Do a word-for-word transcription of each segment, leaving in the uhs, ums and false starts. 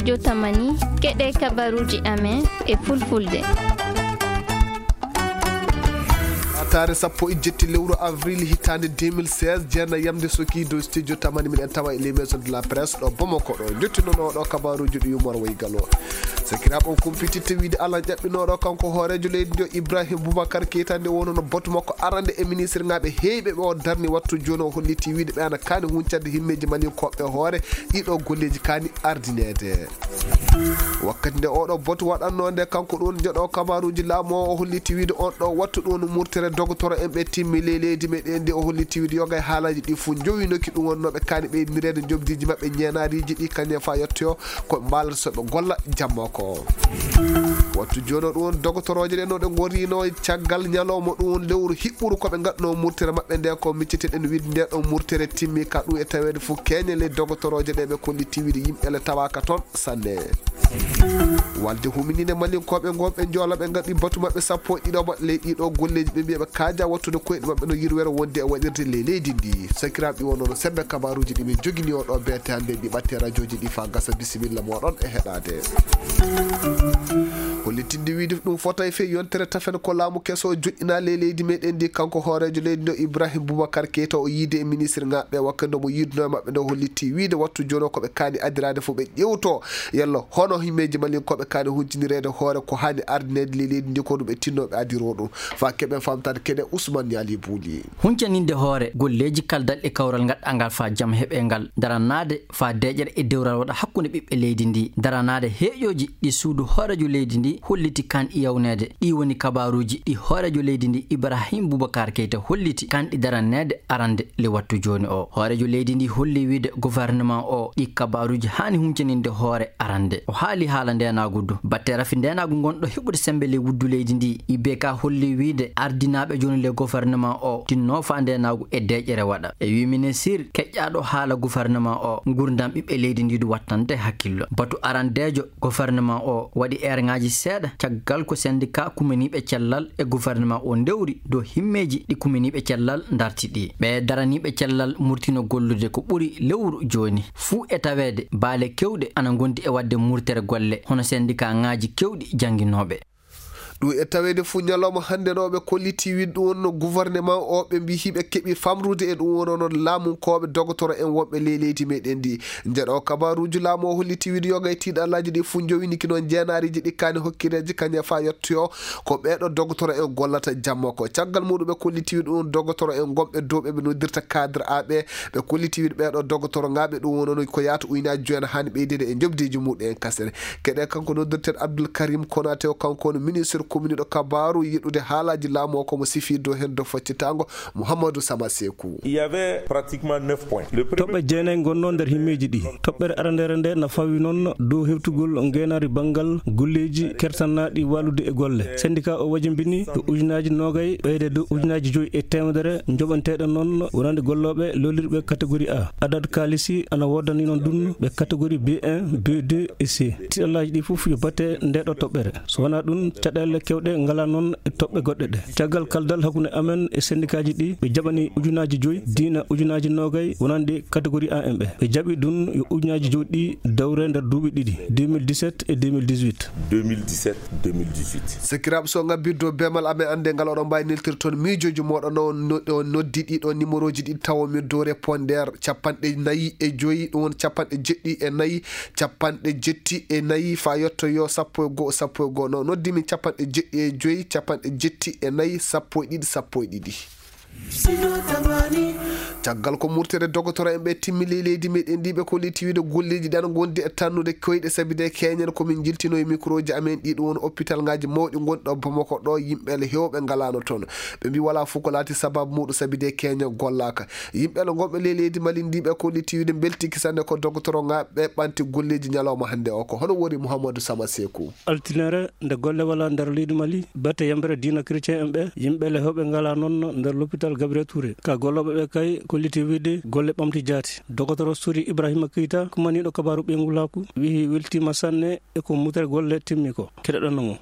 Jotamani, keɗe kabaruuji amen e fulfulde. Ataare sappo e jetti lewru avril hitaande deux mille seize, jeena yamde soki dow studio tamani miɗen tawa e les maisons de la presse ɗo Bamako ɗo. Jottinono ɗo kabaruuji ɗi yumor way galo. Sakiraaɓe, on kumpititte wiide Alla ƴaɓɓinooɗo kanko hooreejo leydi o Ibrahim Boubacar Keita nde wonno batu makko arande e ministre ŋaaɓe heewɓe ɓe o darni wattu jooni o holliti wiide ɓe ana kaani huncande himmeeji malinkooɓe hoore ɗiɗo golleeji kaani ardineede. Wakkati nde oɗo batu waɗanno nde kanko ɗon joɗo kabaruuji laamu o, o holliti wiide on ɗo wattu ɗon murtere dogotoro en ɓe timmi ley leydi meɗen ndi, o holliti wiide yoga e haalaaji ɗi fof njowinoki ɗum wonnoɓe kaani ɓe nireede njobdiiji maɓɓe ñeenaariiji ɗi kañum fa yettoyo ko mbaalata so ɓe golla jamma ko. Wattu jooni o ɗum won dogotoroje ɗe no ɗe gorrino caggal ñalawma ɗum won lewru hiɓɓuru ko ɓe ngaɗno murtere maɓɓe nde ko miccete ɗen wiide nde ɗon murtere timmi ka ɗum e taweede fof keñe ley dogotoroje ɗe ɓe kolliti wiide yimɓe le tawaka toon sanne. Walde humininde malinkooɓe ngon ɓe njoola ɓe ngaɗi batu maɓɓe sappo e ɗiɗo maɓɓe ley ɗiɗo golleeji ɓe mbiya ɓe kaaja wattude koyɗe maɓɓe no yirwere wonde e waɗirde ley leydi ndi. Sakiraaɓe ɗi wonno no sembe kabaruuji ɗi min jogini o ɗo beete hannde ɗi ɓatte rajooji ɗi fa gasa bisimilla moɗon e heɗaade. Hollitinde wiide ɗum fota e fee yontere tafen ko laamu keso o joɗɗina ley leydi meɗen ndi kanko hooreejo leydi ndo Ibrahim Boubacar Keita o yiide e ministre ŋaaɓe wakkati mo yiiduno e maɓɓe ndo holliti wiide wattu jono ko ɓe kaani adiraade fof ɓe ƴewto yallo hono himmeeji malinkooɓe kaani huncinireede hoore ko haani ardineede ley leydi ndi ko ɗum ɓe tinno ɓe adiro ɗum fa keɓen famtaade keɗe Ousmane Niali Bouli. Huncaninde hoore golleeji kaldal e kawral ngaɗɗangal fa jam heɓe ngal daranaade fa deeƴere e dewral waɗa hakkunde ɓiɓɓe leydi ndi daranaade heeƴooji ɗi suudu hooreejo leydi ndi holliti kan iyawneede ɗi woni kabaruuji ɗi hooreejo leydi ndi Ibrahim Boubacar Keita holliti kan ɗi daraneede arande le wattu jooni o hooreejo leydi ndi holli wiide gouvernement o ɗi kabaruuji haani huncaninde hoore arande o haali haala ndenaagu du batte rafi ndenaagu ngonɗo heɓude sembe le wuddu leydi ndi I B K holli wiide ardinaaɓe jooni le gouvernement o tinno fa ndenaagu e deeƴere waɗa e wi ministre keƴƴaaɗo haala gouvernement o ngurdam ɓiɓɓe leydi ndi du wattante hakkillo batu arandeejo gouvernement o waɗi eerŋaaji seeɗa caggal ko syndicat kumaniiɓe cellal e gouvernement o ndewri dow himmeeji ɗi kumaniiɓe cellal ndarti ɗi ɓe daraniiɓe cellal murtino gollude ko ɓuri lewru jooni fuu e taweede baale kewɗe ana ngondi e waɗde murtere golle hono syndicat ŋaaji kewɗi jannginooɓe. Ɗum e taweede fuu ñalawma hannde ɗo ɓe kolliti wiide ɗum wonno gouvernement o ɓe mbii hiɓe keɓi famrude e ɗum wonno noon laamunkooɓe dogotoro en wonɓe ley leydi meɗen ndi. Njeɗo kabaruuji laamu o holliti wiide yoga e tiiɗalaaji ɗi fuu njowiniki noon jeenaariiji ɗi kaani hokkireeji kañe fa yettoyo ko ɓeeɗo dogotoro en gollata jamma ko. Caggal muɗum ɓe kolliti wiide ɗum dogotoro en gonɓe dow ɓe ɓe noddirta cadre A ɓe ɓe kolliti wiide ɓeeɗo dogotoro ŋaaɓe ɗum wonno ko yaata uynaaji joyi ana haani ɓeydeede e njobdiiji muɗum en kasere. Keɗe kanko noddirten Abdoul Karim Konaté o kanko woni ministre communiɗo kabaru yiɗude haalaaji laamu o komo sifi dow heen dow faccitaango Mouhamadou Sama Sekou. Il y avait pratiquement neuf points. Le premier toɓɓe jeenayi ngonnoo nder himmeeji ɗi. Toɓɓere arandeere nde na fawi noon dow hewtugol ngeenaari banngal golleeji kertanaaɗi walude e golle. Syndicat o wajimbini ko ujunaaji noogay ɓeyde dow ujunaaji joyi e teemedere njoɓanteeɗe noon wonande gollooɓe lollirɓe catégorie A. Adad kaalisi ana woodani noon ɗum ɓe catégorie B un, B deux e C. Tiɗalaaji ɗi fof yo batte nde ɗo toɓɓere. So wonaa ɗum, caɗeele kewɗe ngalaa noon e toɓɓe goɗɗe ɗe. Caggal kaldal hakkunde amen e syndicat ji ɗi, ɓe jaɓani ujunaaji joyi, diina ujunaaji noogay wonande catégorie A en ɓe. Ɓe jaɓi ɗum yo ujunaaji joyi ɗi dawre nder duuɓi ɗiɗi, deux mille dix-sept et deux mille dix-huit. Deux mille dix-sept, deux mille dix-huit. Sakiraaɓe, so ngabbirde beemal amen annde ngal, oɗon mbaawi neltirde toon miijooji mooɗon, no, no, no noddi ɗiɗo numéroji ɗi tawa mi dow répondeur capanɗe nayi e joyi, ɗum woni capanɗe jeɗɗi e nayi, capanɗe jetti e nayi, fa yetto yo sappo e goo, sappo e goo. No, noddi min capanɗe jeɗɗi e joyi, capanɗe jetti e nayi, sappo e ɗiɗi, sappo e ɗiɗi. Caggal ko murtere dogotoro en ɓe timmi ley leydi meɗen ndi, ɓe kolliti wiide golleeji ɗan gondi e tannude koyɗe, sabi de keñen ko min jiltino e microji amen ɗi ɗum woni hôpital ngaji mawɗi gonɗo Bamako ɗo, yimɓe le hewɓe ngalano toon. Ɓe mbi wala fof ko laati sababu muɗum, sabi de keñen gollaka. Yimɓe le gonɓe ley leydi Mali ndi, ɓe kolliti wiide beltiki sanne ko dogotoro ngaɓe ɓanti golleeji ñalawma hannde o. Ko hono woni Mouhamadou Sama Sekou. Altinere nde golle wala nder leydi Mali, batte yambere diina chrétien en ɓe, yimɓe le hewɓe ngala noon nder l'hôpital Gabriel Touré. Ka gollooɓe ɓe kay kolliti wiide golle ɓamti jaati. Dogotoro Suri Ibrahima Keita, kumaniiɗo kabaaru ɓeyngu laaku, wiyi weltiima sanne e ko mutere golle timmi ko. Keɗoɗon mo.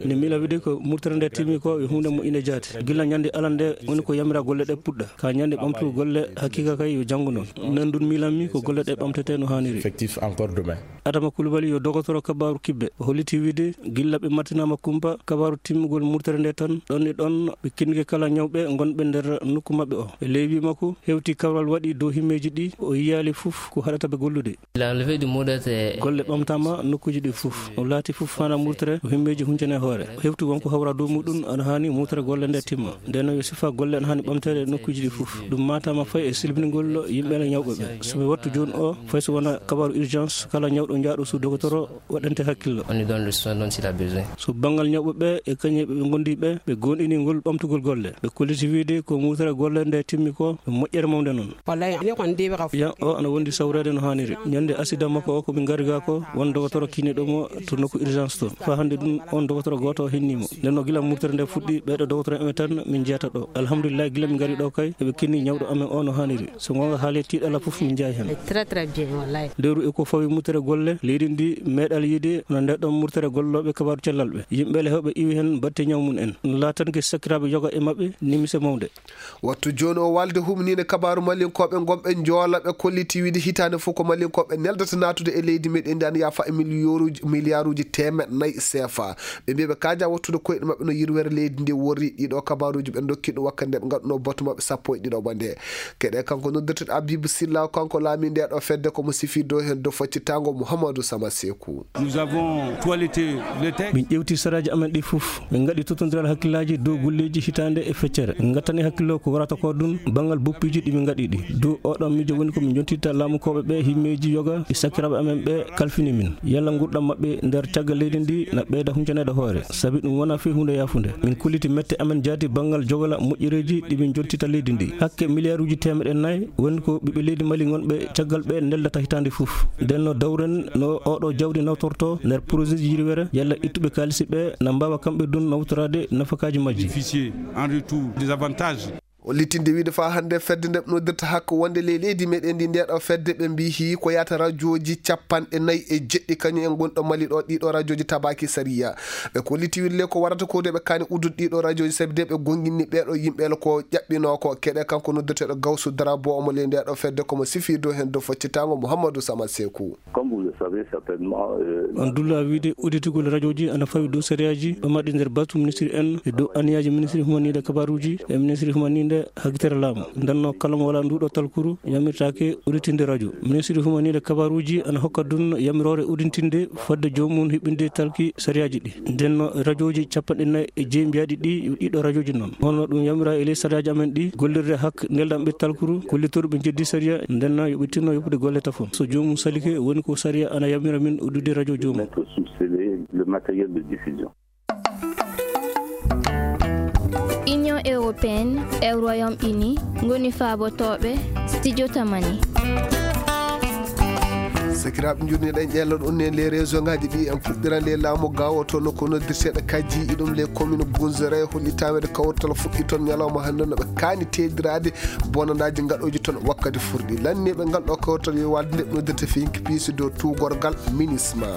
Nde miila wiide ko murtere nde timmi ko yo huunde moƴƴinde jaati. Gila ñande alan nde woni ko yamira golle ɗe puɗɗa. Ka ñande ɓamtu golle hakiika kay yo janngo noon. Nan ɗum miilanmi ko golle ɗe ɓamtete no haaniri. Effectif encore demain. Adama Koulibaly yo dogotoro kabaaru kibbe. O holliti wiide gila ɓe mattinaama kumpa kabaaru timmugol murtere nde tan, ɗon e ɗon ɓe kinndike kala ñawɓe ngonɓe nder nokku maɓɓe o. E ley wii makko, hewti kawral waɗi dow himmeeji ɗi, o yiyaali fof ko haɗata ɓe gollude. La levée du mot d'ordre est Golle ɓamtaama nokkuuji ɗi fof. O laati fof fana murtere, o himmeeji huncane hoore. O hefti wonko hawra dow muɗum, ana haani murtere golle nde timma. Nden noon yo sifa golle ana haani ɓamteede nokkuuji ɗi fof. Ɗum maataama fayi e silbinigol yimɓe e ñawɓe ɓe. So mi wattu jooni o, fay so wona kabaru urgence, kala ñawɗo jaaɗo suu dogotoro waɗante hakkillo. On lui donne le soin dont il a besoin. So banngal ñawɓe ɓe e kañe ɓe ngondi ɓe, ɓe goonɗini ngol ɓamtugol golle. Ɓe kolliti wiide ko murtere golle nde timmi ko, ɓe moƴƴere mawnde noon. Wallahi, ne kon dewe ka Ya, o ana wondi sawreede no haaniri. Ñande accident makko o, ko min ngari ga ko, won dogotoro kiiniiɗo mo to nokku urgence to. Faa hannde ɗum, on dogotoro gooto o hinnii mo. Nden no gila murtere nde fuɗɗi, ɓeeɗo dogotoro en tan min njeyata ɗo. Alhamdulillah, gila min ngari ɗo kay, eɓe kinni ñawɗo amen o no haaniri. So goonga haali, tiiɗalla fof min njaay heen. Très, très bien, wallahi. Ndeeru e ko fawi murtere golle, leydi ndi meeɗal yiide wona nde ɗon murtere gollooɓe kabaaru cellal ɓe. Yimɓe le heewɓe iwi heen batte ñaw mum en. Laatanke sakiraaɓe yoga e maɓɓe nimise mawnde. Wattu jooni o walde humniinde kabaaru Malinkooɓe ngonɓe Njoola, ɓe kolliti wiide hitaande fof ko Malinkooɓe neldata naatude e leydi meɗen ndi, ana yaafa e miliyooruuji, miliyaaruuji teemeɗɗe nayi C F A. Ɓe mbiya ɓe kaaja wattude koyɗe maɓɓe no yirwere leydi ndi worri. Ɗiɗo kabaaruuji ɓe ndokki ɗum wakkati nde ɓe ngaɗuno batu maɓɓe sappo e ɗiɗo ɓande. Keɗe kanko noddirteɗo Abib Silla, kanko laami nde ɗo fedde, ko mo sifi dow heen dow faccitango Mouhamadou Sama Sekou. Nous avons toiletté le texte. Min ƴewti saraaji amen ɗi fof. Min ngaɗi tottondiral hakkillaaji dow golleeji hitaande e feccere. Min ngattani hakkillo ko warata ko ɗum banngal boppiiji ɗi min ngaɗi ɗi. Dow oɗon miijo woni ko min jontitta laamukooɓe ɓe himmeeji yoga e sakiraaɓe amen ɓe kalfini min. Yalla nguurɗam maɓɓe nder caggal leydi ndi na ɓeyda huncaneede hoore. Sabi ɗum wona fii huunde yaafunde. Min kolliti mette amen jaati banngal jogola moƴƴereeji ɗi min jontitta leydi ndi. Hakke miliyaaruuji teemeɗɗe nayi woni ko ɓiɓɓe leydi Mali ngonɓe caggal ɓe neldata hitaande fof. Nden no dawren no oɗo jawdi nawtorto nder projet ji yirwere, yalla ittuɓe kaalisi ɓe na mbaawa kamɓe dun nawtoraade nafakaaji majji. Bénéficier en retour des avantages. O littinde wiide faa hannde fedde nde noddirta hakke wonde ley leydi meɗen ndi, nde ɗo fedde ɓe mbiyi ko yaata rajooji capanɗe nayi e jeɗɗi kañum en ngonɗo Mali ɗo, ɗiɗo rajooji tabaaki sariya. Ɓe kolliti wiide le ko warata ko de ɓe kaani uddude ɗiɗo rajooji, sabi de ɓe gonnginni ɓeeɗo yimɓe le ko ƴaɓɓinoo ko. Keɗe kanko noddirteeɗo Gawsu Darabo, omo ley nde ɗo fedde, komo sifi dow heen dow faccitango Mouhamadou Sama Sekou. Comme vous le savez certainement, euh, On dulla wiide udditigol rajooji ana fawi dow sariyaaji ɓamaɗi nder batu ministri en e dow aniyaaji ministri humaniiɗo kabaruuji e ministri humaniiɗo hagitere laamu. Ndenno kala mo wala nduɗo talkuru yamirtaake udditinde rajo. Ministri humaniiɗo kabaruuji ana hokka dun yamiroore udditinde fodde joomum hiɓɓinde talki sariyaaji ɗi. Ndenno rajooji capanɗe nayi e jeyi mbiyaɗi ɗi yo ɗiɗo rajooji noon. Hono ɗum yamira e ley sariyaaji amen ɗi, gollirde hak neldanɓe talkuru, kollitorɓe jeddi sariya, ndenno yo ɓe tinno yoɓude golle tafon. So joomum salike, woni ko sariya ana yamira min uddude rajo joomum. Mettre sous scellé le matériel de diffusion. Union européenne e Royaume-Uni ngoni faabotooɓe Studio Tamani. Sakiraaɓe, njurniiɗen ƴellon on e les réseau ngaji ɗi, en puɗɗiran le laamu gawo to nokku noddirteeɗo Kaji, iɗum le commune Bunzere, holli tawede kawtal fuɗɗi toon ñalawma hannde no ɓe kaani teediraade bonandaaji ngaɗooji toon wakkati furɗi. Lanniiɓe ngal ɗo kawtal yo walde nde noddirte finki piisi dow tuugorgal minisma.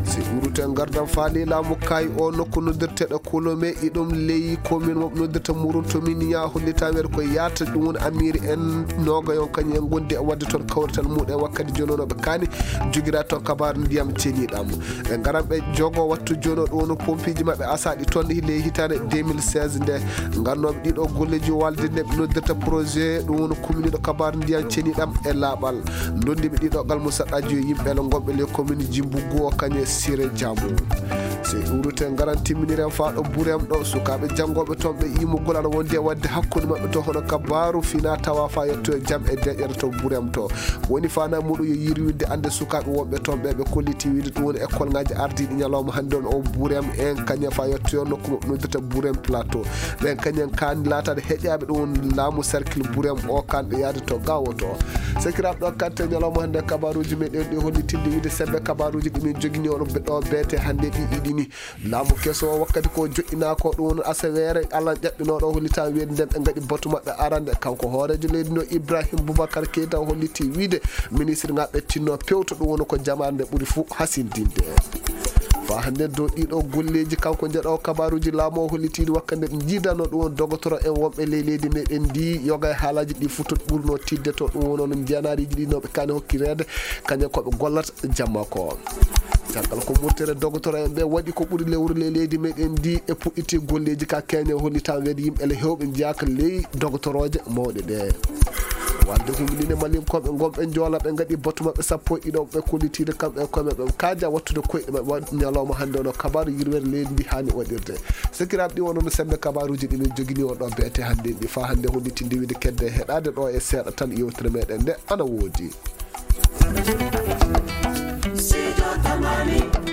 Si urute ngardan faali laamu kay o nokku noddirteeɗo Kolome, iɗum ley commune mo noddirta Murun to Miniya, holli tawede ko yaata ɗum woni amiri en noogayon kañum en gondi e wadde toon kawrital muɗum e wakkati jonono ɓe kaani jogira toon kabaru ndiyam ceniɗam. Ɓe ngaran ɓe jogo wattu jono ɗum woni pompiiji maɓɓe asaɗi toon ley hitaande deux mille seize nde. Ngannooɓe ɗiɗo golleji walde nde ɓe noddirta projet ɗum woni commune ɗo kabaru ndiyam ceniɗam e laaɓal. Ndondiɓe ɗiɗo gal musaɗɗaji yo yimɓe le gonɓe le commune Jimbuggo kañe Sire Jamu. Se urute ngaran timminiren faa ɗo Burem ɗo sukaaɓe janngooɓe toon ɓe imugol ana wondi e wadde hakkunde maɓɓe to hono kabaru fina tawa faa yetto e jam e deƴƴere to Burem to. Woni fana muɗum yo yirwi Ɓidde annde sukaaɓe wonɓe toon ɓe ɓe kolliti wiide ɗum woni école ngaji ardiiɗi ñalawma hannde on o Burem en kañum fa yettoyo nokku mo noddirta Burem Plateau. Ɓen kañum kaani laataade heƴaaɓe ɗum woni laamu cercle Burem o kanɓe yaade to gawo to. Sekiraaɓe ɗo katte ñalawma hannde kabaruuji meɗen ɗi hollitinde wiide sembe kabaruuji ɗi min jogini oɗo ɗo beete hannde ɗi iɗini. Laamu keso o wakkati ko joɗɗinaa ko ɗum woni aseweere alan ƴaɓɓinooɗo o hollitaa wiide nden ɓe ngaɗi batu maɓɓe arande kanko hooreejo leydi no Ibrahim Boubacar Keita o holliti wiide ministre ngaɓe tinno pewto ɗum woni ko jamaare nde ɓuri fuu hasindinde. Fa hannde dow ɗiɗo golleeji kanko njeɗo kabaruuji laamu o hollitiiɗi wakkati nde ɓe njiidanoo ɗum woni dogotoro en wonɓe ley leydi meɗen ndi yoga e haalaaji ɗi fuu to ɓurnoo tidde to ɗum wono no njeenaariiji ɗi no ɓe kaani hokkireede kañum ko ɓe gollata jamma ko. Caggal ko murtere dogotoro en ɓe waɗi ko ɓuri lewru ley leydi meɗen ndi e puɗɗiti golleeji ka keñe hollitan weede yimɓe ele hewɓe njiyaka ley dogotorooje mawɗe ɗe. Walde humnine malinkooɓe ngonɓe njoola ɓe ngaɗi batu maɓɓe sappo e ɗiɗo ɓe kollitiide kamɓe e koye maɓɓe kaaja wattude koyɗe maɓɓe waɗ ñalawma hannde ono kabaru yirwere leydi ndi haani waɗirde. Sekiraaɓe ɗi wonono sembe kabaruuji ɗi min jogini on ɗo beete hannde ɗi fa hannde hollitinde wiide kedde heɗaade ɗo e seeɗa tan yewtere meɗen nde ana woodi. Sijo tamani.